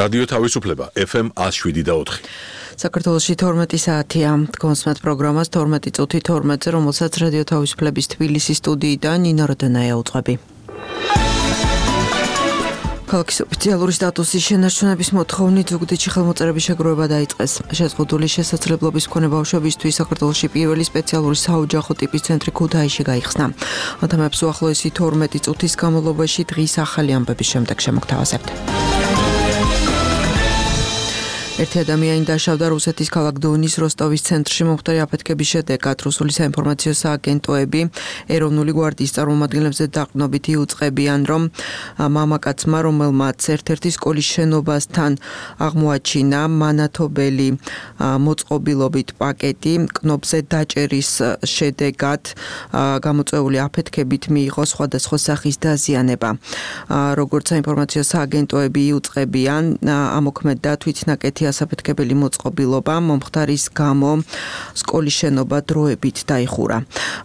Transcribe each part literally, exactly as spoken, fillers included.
რადიო თავისუფლება ეფ ემ one oh seven და four. საქართველოში თორმეტი საათია. კონსმეთ პროგრამას თორმეტი წუთი თორმეტზე, რომელსაც რადიო თავისუფლების თბილისის სტუდიიდან ნინო როდონაია უძღვები. ქალაქის ოფიციალური სტატუსის შენარჩუნების მოთხოვნით ზუგდიდში ხელმოწერების შეგროვება დაიწყეს. შეზღუდული შესაძლებლობის მქონე ბავშვებისთვის საქართველოში პირველი სპეციალური საოჯახო ტიპის ცენტრი ქუთაისში გაიხსნა. ამიტომაც უახლოესი თორმეტი წუთის განმავლობაში დღის ახალი ამბების შემდეგ შემოგთავაზებთ. ერთი ადამიანი დაშავდა რუსეთის ქალაქ დონის როსტოვის ცენტრში მომხდარი აფეთქების შედეგად. რუსული საინფორმაციო სააგენტოები ეროვნული გვარდიის წარმომადგენლებზე დაყრდნობით იუწყებიან, რომ მამაკაცმა, რომელმაც ერთ-ერთი სკოლის შენობასთან აღმოაჩინა მანათობელი მოწყობილობით პაკეტი, კნობზე დაჭერის შედეგად გამოწვეული აფეთქებით მიიღო სხვადასხვა სახის დაზიანება. როგორც საინფორმაციო სააგენტოები იუწყებიან, ამოქმედდა თვითნაკეთი ასაფეთქებელი მოწყობილობა, მომხდარის გამო სკოლის შენობა დროებით დაიხურა.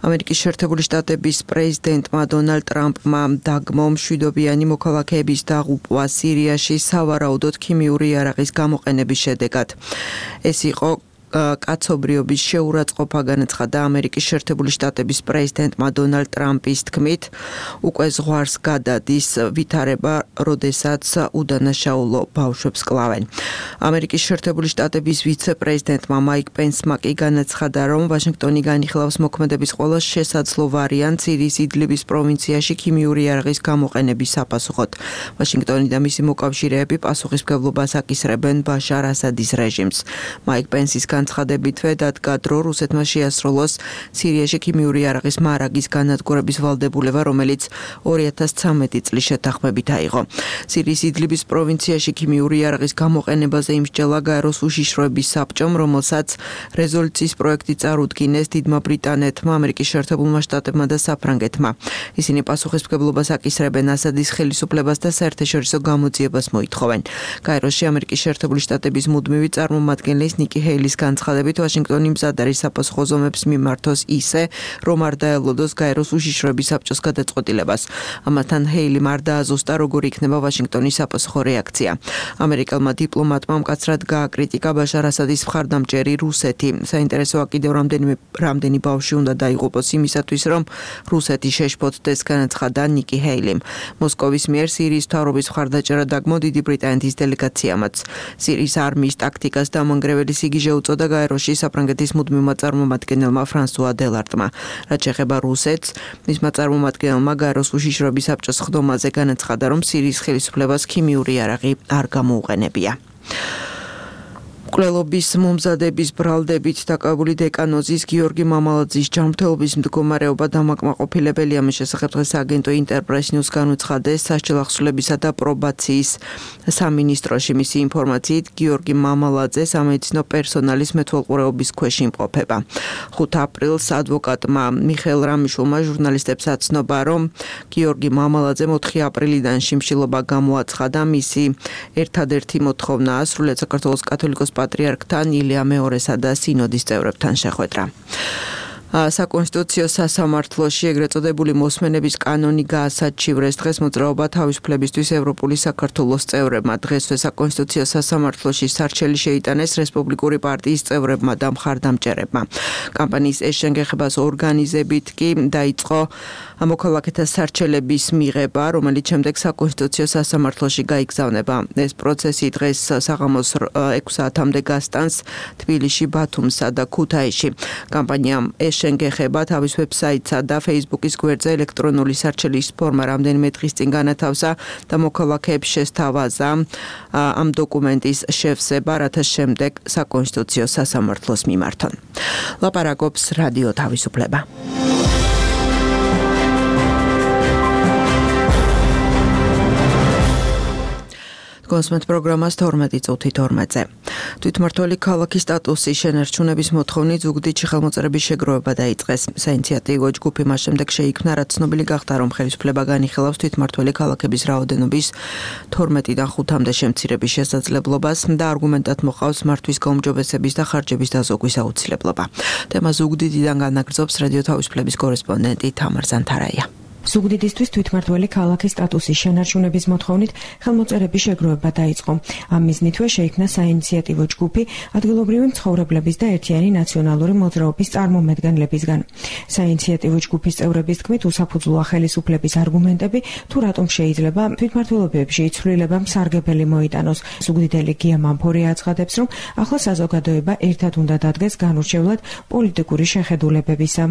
ამერიკის შეერთებული შტატების პრეზიდენტმა დონალდ ტრამპმა დაგმო მშვიდობიანი მოქალაქეების დაღუპვა სირიაში სავარაუდოდ ქიმიური იარაღის გამოყენების შედეგად. ეს იყო კაცობრიობის შეურაცხყოფა, განაცხადა ამერიკის შეერთებული შტატების პრეზიდენტმა დონალდ ტრამპის თქმით, უკვე ზღვარს გადადის ვითარება, როდესაც უდანაშაულო ბავშვებს კლავენ. ამერიკის შეერთებული შტატების ვიცე-პრეზიდენტმა მაიკ პენსმა კი განაცხადა, რომ ვაშინგტონი განიხილავს მოქმედების ყველა შესაძლო ვარიანტს სირიის იდლიბის პროვინციაში ქიმიური იარაღის გამოყენების საპასუხოდ. ვაშინგტონი და მისი მოკავშირეები პასუხისმგებლობას აკისრებენ ბაშარ ასადის რეჟიმს. მაიკ პენსის განცხადებითვე დადგა დრო რუსეთმა შეასრულოს სირიაში ქიმიური იარაღის მარაგის განადგურების ვალდებულება, რომელიც ორი ათას ცხრამეტი წლის შეთანხმებით აიღო. სირიის იდლიბის პროვინციაში ქიმიური იარაღის გამოყენებაზე იმსჯელა გაეროს უშიშროების საბჭომ, რომელსაც რეზოლუციის პროექტი წარუდგინეს დიდმა ბრიტანეთმა, ამერიკის შეერთებულმა შტატებმა და საფრანგეთმა. ისინი პასუხისმგებლობას აკისრებენ ასადის ხელისუფლებას და საერთაშორისო გამოძიებას მოითხოვენ. გაეროში ამერიკის შეერთებული შტატების მუდმივი წარმომადგენლის ნიკი ჰეილის განცხადებით, ვაშინგტონი მზად არის საპასუხო ზომებს მიმართოს ისე, რომ არ დაელოდოს გაეროს უშიშროების საბჭოს გადაწყვეტილებას. ამათთან ჰეილი არ დააზუსტა, როგორი იქნება ვაშინგტონის საპასუხო რეაქცია. ამერიკელმა დიპლომატმა მკაცრად გააკრიტიკა ბაშარ ასადის მხარდამჭერი რუსეთი. საინტერესოა კიდევ რამდენიმე რამდენი ბავშვი უნდა დაიღუპოს იმისათვის, რომ რუსეთი შეშფოთდეს, განაცხადა ნიკი ჰეილიმ. მოსკოვის მიერ სირიის მთავრობის მხარდაჭერა დაგმო დიდი ბრიტანეთის დელეგაციამაც. სირიის არმიის ტაქტიკას დამანგრეველი სიგიჟე უწოდა გაეროში საფრანგეთის მუდმივმა წარმომადგენელმა ფრანსუა დელარტმა. რაც შეეხება რუსეთს, მისმა წარმომადგენელმა გაეროს უშიშროების საბჭოს ხდომაზე განაცხადა, რომ სირიის ხელისუფლებას ქიმიური იარაღი არ გამოუყენებია. მკვლელობის მომზადების ბრალდებით დაკავებული დეკანოზის გიორგი მამალაძის ჯანმრთელობის მდგომარეობა დამაკმაყოფილებელია. მის შესახებ დღეს აგენტო ინტერპრეს ნიუს განუცხადეს სასჯელ ახსნილებისა და პრობაციის სამინისტროში. მისი ინფორმაციით, გიორგი მამალაძე სამედიცინო პერსონალის მეთვალყურეობის ქვეშ იმყოფება. ხუთი აპრილს ადვოკატმა მიხეილ რამიშულმა ჟურნალისტებს აცნობა, რომ გიორგი მამალაძემ ოთხი აპრილიდან შიმშილობა გამოაცხადა. მისი ერთადერთი მოთხოვნაა სრულიად საქართველოს კათოლიკოს პატრიარქთან, ილია მეორესა და სინოდის წევრებთან შეხვედრა. საკონსტიტუციო სასამართლოში ეგრეთ წოდებული მოსმენების კანონი გაასაჩივრეს. დღეს მოძრაობა თავისუფლებისთვის ევროპული საქართველოს წევრებმა. დღესვე საკონსტიტუციო სასამართლოში სარჩელი შეიტანეს რესპუბლიკური პარტიის წევრებმა და მხარდამჭერებმა. კამპანიის ეს შენგეხებას ორგანიზებით კი დაიწყო მოქალაქეთა სარჩელების მიღება, რომელიც შემდეგ საკონსტიტუციო სასამართლოში გაიგზავნება. ეს პროცესი დღეს საღამოს ექვსი საათამდე გასტანს თბილისში, ბათუმსა და ქუთაისში. კამპანიამ ეს შენგეხება თავის ვებსაიტსა და Facebook-ის გვერდზე ელექტრონული სარჩელის ფორმა რამდენიმე დღის წინ განათავსა და მოქალაქეებს შესთავაზა ამ დოკუმენტის შევსება, რათა შემდეგ საკონსტიტუციო სასამართლოს მიმართონ. ლაპარაკობს რადიო თავისუფლება. კონსმეთ პროგრამას თორმეტი წუთი თორმეტზე. თვითმმართველი ქალაქის სტატუსის შენარჩუნების მოთხოვნით ზუგდიდში ხელმოწერების შეგროვება დაიწყეს. საინიციატივო ჯგუფი მას შემდეგ შეიქმნა, რაც ცნობილი გახდა, რომ ხელისუფლება განიხილავს თვითმმართველი ქალაქების რაოდენობის თორმეტიდან ხუთამდე შემცირების შესაძლებლობას და არგუმენტად მოყავს მართვის გაუმჯობესების და ხარჯების დაზოგვის აუცილებლობა. თემა ზუგდიდიდან განაგრძობს რადიო თავისუფლების კორესპონდენტი თამარ ზანთარაია. ზუგდიდისთვის თვითმმართველი ქალაქის სტატუსის შენარჩუნების მოთხოვნით ხელმოწერების შეგროვება დაიწყო. ამ მიზნითვე შეიქმნა საინიციატივო ჯგუფი ადგილობრივი მცხოვრებლების და ერთიანი ნაციონალური მოძრაობის წარმომადგენლებისგან. საინიციატივო ჯგუფის წევრების თქმით, უსაფუძვლოა ხელისუფლების არგუმენტები, თუ რატომ შეიძლება თვითმმართველობებში ცვლილება მსარგებელი მოიტანოს. ზუგდიდელი გია მამფორია აცხადებს, რომ ახლა საზოგადოება ერთად უნდა დადგეს განურჩევლად პოლიტიკური შეხედულებებისა.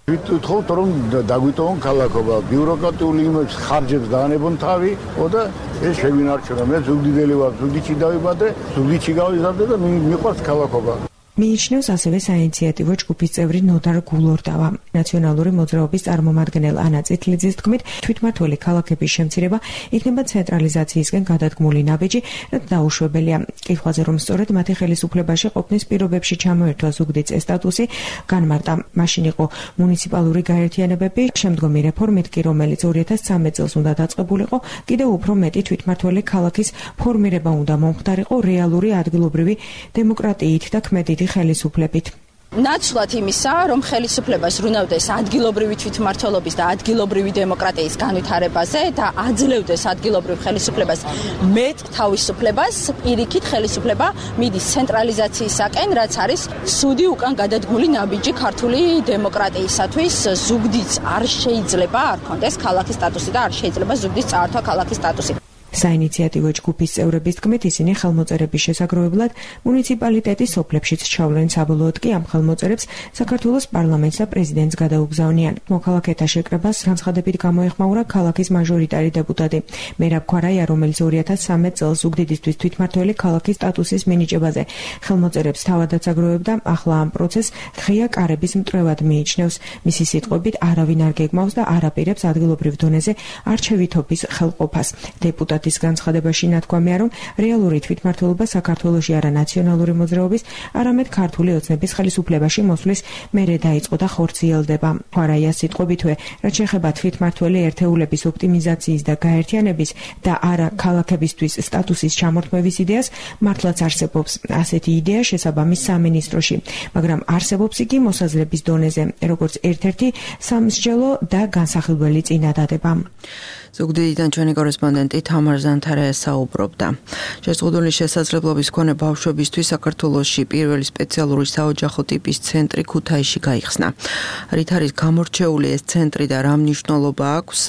ვიტყოთ რომ დაგვიტოვონ ქალაქობა, ბიუროკრატიული იმებს ხარჯებს დაანებონ თავი, და ეს შევინარჩუნო. მე ზუგდიდელი ვარ, ზუგდიდში დავიბადე, ზუგდიდში გავიზარდე და მიყვარს ქალაქობა. მიიჩნევს ასევე საინიციატივო ჯგუფის წევრი ნოდარ გულორდავა. ნაციონალური მოძრაობის წარმომადგენელ ანა წითლიძის თქმით, თვითმმართველი ქალაქების შემცირება იქნება ცენტრალიზაციისკენ გადადგმული ნაბიჯი, რაც დაუშვებელია. კითხვაზე, რომ სწორედ მათი ხელისუფლებაში ყოფნის პირობებში ჩამოერთვა ზუგდიდს ეს სტატუსი, განმარტა, მაშინ იყო მუნიციპალური გაერთიანებები, შემდგომი რეფორმით კი, რომელიც ორი ათას ცხრამეტ წელს უნდა დაწყებულიყო, კიდევ უფრო მეტი თვითმმართველი ქალაქის ფორმირება უნდა მომხდარიყო რეალური ადგილობრივი დემოკრატიით და ქმედით ხელისუფლებით. ნაცვლად იმისა, რომ ხელისუფლება ზრუნავდეს ადგილობრივი თვითმმართველობის და ადგილობრივი დემოკრატიის განვითარებაზე და აძლევდეს ადგილობრივ ხელისუფლებას მეტ თავისუფლებას, პირიქით ხელისუფლება მიდის ცენტრალიზაციისაკენ, რაც არის ცუდი უკან გადადგმული ნაბიჯი ქართული დემოკრატიისათვის. ზუგდიდს არ შეიძლება არ ქონდეს ქალაქის სტატუსი და არ შეიძლება ზუგდიდს წაართვა ქალაქის სტატუსი. საინიციატივო ჯგუფის წევრების თქმით, ისინი ხელმოწერების შესაგროვებლად მუნიციპალიტეტის სოფლებშიც ჩავლენ, საბოლოოდ კი ამ ხელმოწერებს საქართველოს პარლამენტს და პრეზიდენტს გადაუგზავნიან. მოქალაქეთა შეკრებას განცხადებით გამოეხმაურა ქალაქის მაჟორიტარი დეპუტატი მერაბ ქვარაია, რომელიც ორი ათას ცხრამეტ წელს ზუგდიდისთვის თვითმმართველი ქალაქის სტატუსის მინიჭებაზე ხელმოწერებს თავადაც აგროვებდა. ახლა ამ პროცესს ღია კარების მტრევად მიიჩნევს. მისი სიტყვებით, არავინ არ გეგმავს და არ აპირებს ადგილობრივ დონეზე არჩევითობის ხელყოფას. დეპუტატი ის განცხადებაში ნათქვამია, რომ რეალური თვითმმართველობა საქართველოში არა ნაციონალური მოძრაობის, არამედ ქართული ოცნების ხელისუფლებაში მოსვლის მერე დაიწყო და ხორციელდება. ქვარაიას სიტყვებითვე, რაც შეეხება თვითმმართველი ერთეულების ოპტიმიზაციის და გაერთიანების და არა ქალაქებისთვის სტატუსის ჩამორთმევის იდეას, მართლაც არსებობს ასეთი იდეა შესაბამის სამინისტროში, მაგრამ არსებობს იგი მოსაზრების დონეზე, როგორც ერთ-ერთი სამსჯელო და განსახილველი წინადადება. ზუგდიდიდან ჩვენი კორესპონდენტი თამარ ზანთარაია საუბრობდა. შეზღუდული შესაძლებლობის მქონე ბავშვებისთვის საქართველოში პირველი სპეციალური საოჯახო ტიპის ცენტრი ქუთაისში გაიხსნა. რით არის გამორჩეული ეს ცენტრი და რა მნიშვნელობა აქვს?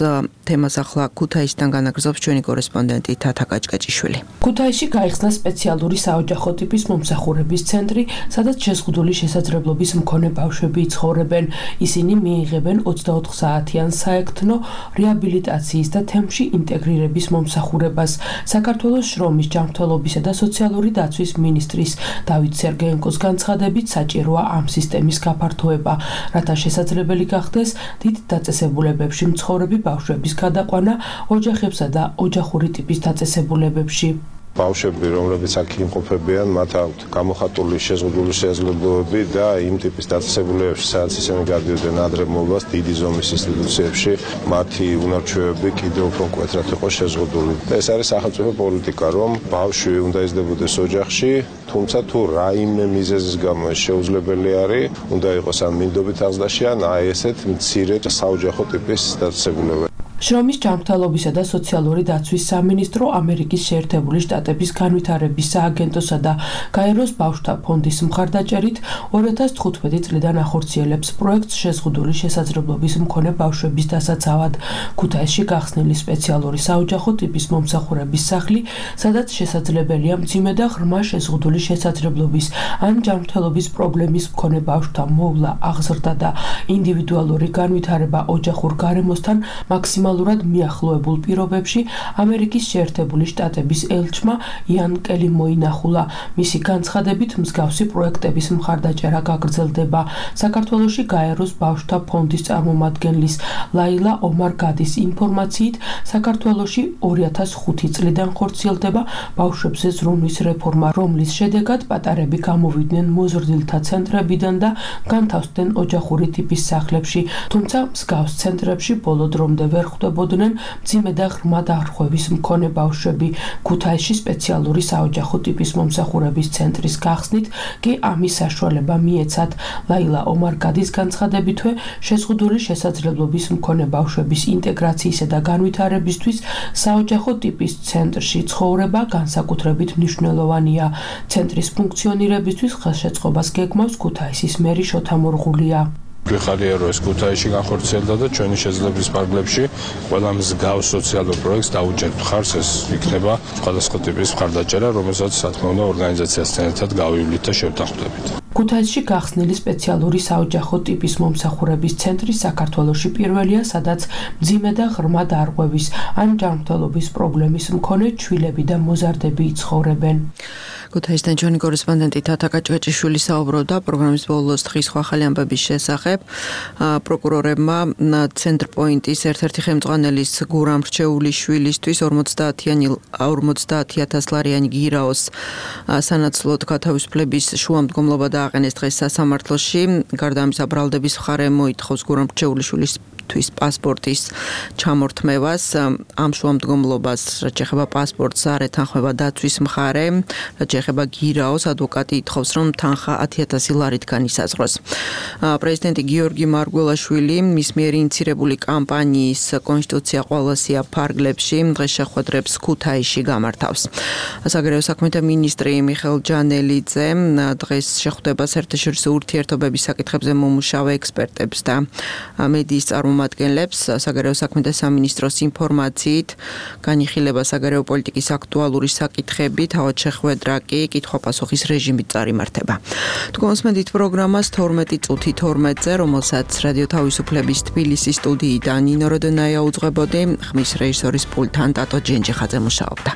თემას ახლა ქუთაისიდან განაგრძობს ჩვენი კორესპონდენტი თათა კაჭკაჭიშვილი. ქუთაისში გაიხსნა სპეციალური საოჯახო ტიპის მომსახურების ცენტრი, სადაც შეზღუდული შესაძლებლობის მქონე ბავშვები იცხოვრებენ. ისინი მიიღებენ ოცდაოთხ საათიან საექთნო რეაბილიტაციის და თემში ინტეგრირების მომსახურებას. საქართველოს შრომის, ჯანმრთელობისა და სოციალური დაცვის მინისტრის დავით სერგეენკოს განცხადებით, საჭიროა ამ სისტემის გაფართოება, რათა შესაძლებელი გახდეს დიდ დაწესებულებებში მცხოვრები ბავშვების გადაყვანა ოჯახებსა და ოჯახური ტიპის დაწესებულებებში. ბავშვები, რომლებიც აქ იმყოფებიან, მათ აქვთ გამოხატული შეზღუდული შესაძლებლობები და იმ ტიპის დაწესებულებებში, სადაც ისინი გადიოდნენ ადრე მოლვას დიდი ზომის ინსტიტუციებში, მათი უნარჩვევები კიდევ უფრო მკვეთრად იყო შეზღუდული. და ეს არის სახელმწიფო პოლიტიკა, რომ ბავშვი უნდა იზრდებოდეს ოჯახში, თუმცა თუ რაიმე მიზეზის გამო ეს შეუძლებელი არის, უნდა იყოს ან მინდობით აღზრდაში, ან აი ესეთ მცირე საოჯახო ტიპის დაწესებულებები. შრომის, ჯანმრთელობისა და სოციალური დაცვის სამინისტრო, ამერიკის შეერთებული შტატების განვითარების სააგენტოსა და გაეროს ბავშვთა ფონდის მხარდაჭერით ორი ათას თხუთმეტი წლიდან ახორციელებს პროექტს შეზღუდული შესაძლებლობის მქონე ბავშვების დასაცავად. ქუთაისში გახსნილი სპეციალური საოჯახო ტიპის მომსახურების სახლი, სადაც შესაძლებელია მძიმე და ღრმა შეზღუდული შესაძლებლობის ან ჯანმრთელობის პრობლემის მქონე ბავშვთა მოვლა, აღზრდა და ინდივიდუალური განვითარება ოჯახურ გარემოსთან მაქსიმალურად მიახლოებულ პირობებში ამერიკის შეერთებული შტატების ელჩმა იან კელი მოინახულა. მისი განცხადებით, მსგავსი პროექტების მხარდაჭერა გაგრძელდება. საქართველოში გაეროს ბავშვთა ფონდის წარმომადგენლის ლაილა ომარ-გადის ინფორმაციით, საქართველოში ორი ათას ხუთი წლიდან ხორციელდება ბავშვებზე ზრუნვის რეფორმა, რომლის შედეგად პატარები გამოვიდნენ მოზრდილთა ცენტრებიდან და განთავსდნენ ოჯახური ტიპის სახლებში, თუმცა მსგავს ცენტრებში ბოლო დრომდე ვერ ხვდებოდნენ მძიმე და ღრმა დარღვევის მქონე ბავშვები. ქუთაისში სპეციალური საოჯახო ტიპის მომსახურების ცენტრის გახსნით კი ამის საშუალება მიეცათ. ლაილა ომარგადის განცხადებითვე შეზღუდული შესაძლებლობის მქონე ბავშვების ინტეგრაციისა და განვითარებისთვის საოჯახო ტიპის ცენტრში ცხოვრება განსაკუთრებით მნიშვნელოვანია. ცენტრის ფუნქციონირებისთვის ხელშეწყობას გეგმავს ქუთაისის მერი შოთა მორღულია. გვიხარია რომ ეს ქუთაისში განხორციელდა და ჩვენი შეძლების ფარგლებში ყველა მსგავს სოციალურ პროექტს დაუჭერთ ხარს ეს იქნება სხვადასხვა ტიპის მხარდაჭერა რომელსაც რა თქმა უნდა ორგანიზაციასთან ერთად გავივლით და შევთანხმდებით. ქუთაისში გახსნილი სპეციალური საოჯახო ტიპის მომსახურების ცენტრი საქართველოში პირველია, სადაც მძიმე და ღრმა დარღვევის ან ჯანმრთელობის პრობლემის მქონე ჩვილები და მოზარდები იცხოვრებენ. ქუთაისთან ჩვენი კორესპონდენტი თათა კაჭვეჭიშვილი საუბრობდა პროგრამის ბოლოს დღის ახალი ამბების შესახებ. პროკურორებმა ცენტრპოინტის ერთ-ერთი ხელმძღვანელის გურამ რჩეულიშვილისთვის ორმოცდაათი ათას ლარიანი გირაოს სანაცვლოდ გათავისუფლების შუამდგომლობა დააყენეს დღეს სასამართლოში. გარდა ამისა, ბრალდების მხარე მოითხოვს გურამ რჩეულიშვილის თვის პასპორტის ჩამორთმევას. ამ შუამდგომლობას, რაც ეხება პასპორტს, არ ეთანხმება დაცვის მხარე. რაც ეხება გირაოს, ადვოკატი ითხოვს, რომ თანხა ათი ათასი ლარით განისაზღვროს. პრეზიდენტი გიორგი მარგველაშვილი მის მიერ ინიცირებული კამპანიის კონსტიტუცია ყველასია ფარგლებში დღეს შეხვედრებს ქუთაისში გამართავს. საგარეო საქმეთა მინისტრი მიხეილ ჯანელიძე დღეს შეხვდება საერთაშორისო ურთიერთობების საკითხებზე მომუშავე ექსპერტებს და მედიის წარმომადგენლებს. საგარეო საქმეთა სამინისტროს ინფორმაციით განიხილება საგარეო პოლიტიკის აქტუალური საკითხები, თავად შეხვედრა კი კითხვა-პასუხის რეჟიმით წარიმართება. თქვენსმენდით პროგრამას თორმეტი წუთი თორმეტზე, რომელსაც რადიო თავისუფლების თბილისის სტუდიიდან ნინო როდონაია უძღვებოდი, ხმის რეჟისორის პულტთან ტატო ჯენჯიხაძე მუშაობდა.